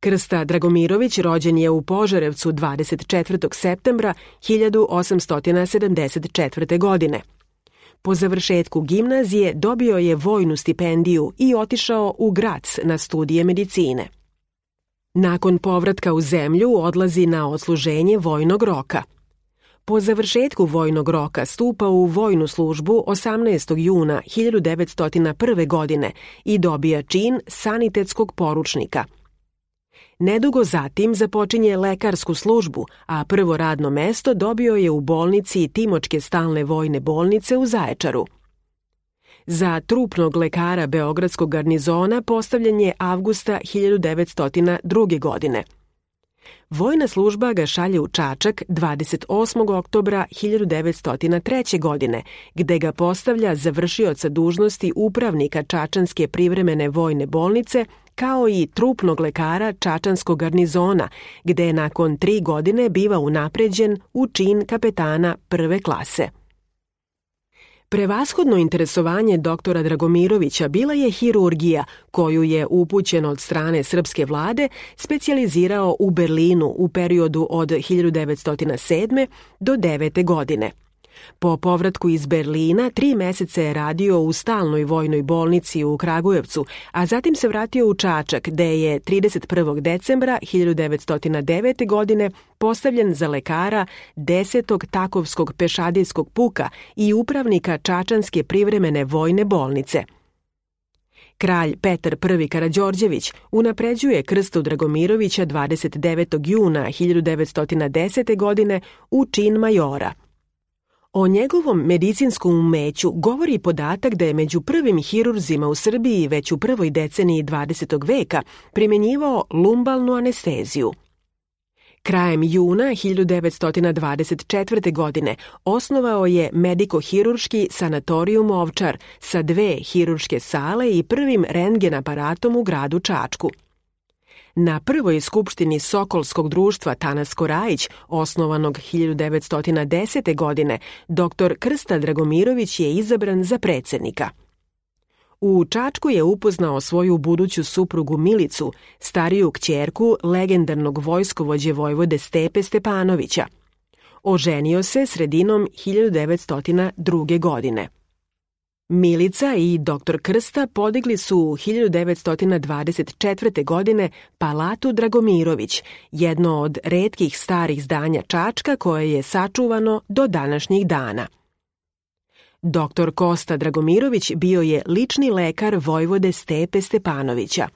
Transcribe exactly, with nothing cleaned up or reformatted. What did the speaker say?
Krsta Dragomirović rođen je u Požarevcu dvadeset četvrtog septembra hiljadu osamsto sedamdeset četvrte. godine. Po završetku gimnazije dobio je vojnu stipendiju i otišao u Grac na studije medicine. Nakon povratka u zemlju odlazi na odsluženje vojnog roka. Po završetku vojnog roka stupa u vojnu službu osamnaestog juna hiljadu devetsto prve. godine i dobija čin sanitetskog poručnika. Nedugo zatim započinje lekarsku službu, a prvo radno mesto dobio je u bolnici Timočke stalne vojne bolnice u Zaječaru. Za trupnog lekara Beogradskog garnizona postavljen je avgusta hiljadu devetsto druge. godine. Vojna služba ga šalje u Čačak dvadeset osmog oktobra hiljadu devetsto treće. godine, gde ga postavlja za vršioca dužnosti upravnika Čačanske privremene vojne bolnice, kao i trupnog lekara Čačanskog garnizona, gde je nakon tri godine biva unapređen u čin kapetana prve klase. Prevashodno interesovanje doktora Dragomirovića bila je hirurgija, koju je upućen od strane srpske vlade specijalizirao u Berlinu u periodu od hiljadu devetsto sedme. do devete. godine. Po povratku iz Berlina tri meseca je radio u stalnoj vojnoj bolnici u Kragujevcu, a zatim se vratio u Čačak, gde je trideset prvog decembra hiljadu devetsto devete. godine postavljen za lekara desetog Takovskog pešadijskog puka i upravnika Čačanske privremene vojne bolnice. Kralj Petar prvi. Karađorđević unapređuje Krstu Dragomirovića dvadeset devetog juna hiljadu devetsto desete. godine u čin majora. O njegovom medicinskom umeću govori podatak da je među prvim hirurzima u Srbiji već u prvoj deceniji dvadesetog. veka primjenjivao lumbalnu anesteziju. Krajem juna hiljadu devetsto dvadeset četvrte. godine osnovao je mediko-hirurški sanatorijum Ovčar sa dve hirurške sale i prvim rentgen aparatom u gradu Čačku. Na prvoj skupštini Sokolskog društva Tanasko Rajić, osnovanog hiljadu devetsto desete. godine, doktor Krsta Dragomirović je izabran za predsednika. U Čačku je upoznao svoju buduću suprugu Milicu, stariju kćerku legendarnog vojskovođe vojvode Stepe Stepanovića. Oženio se sredinom hiljadu devetsto druge. godine. Milica i doktor Krsta podigli su u hiljadu devetsto dvadeset četvrte. godine Palatu Dragomirović, jedno od retkih starih zdanja Čačka koje je sačuvano do današnjih dana. Doktor Kosta Dragomirović bio je lični lekar vojvode Stepe Stepanovića.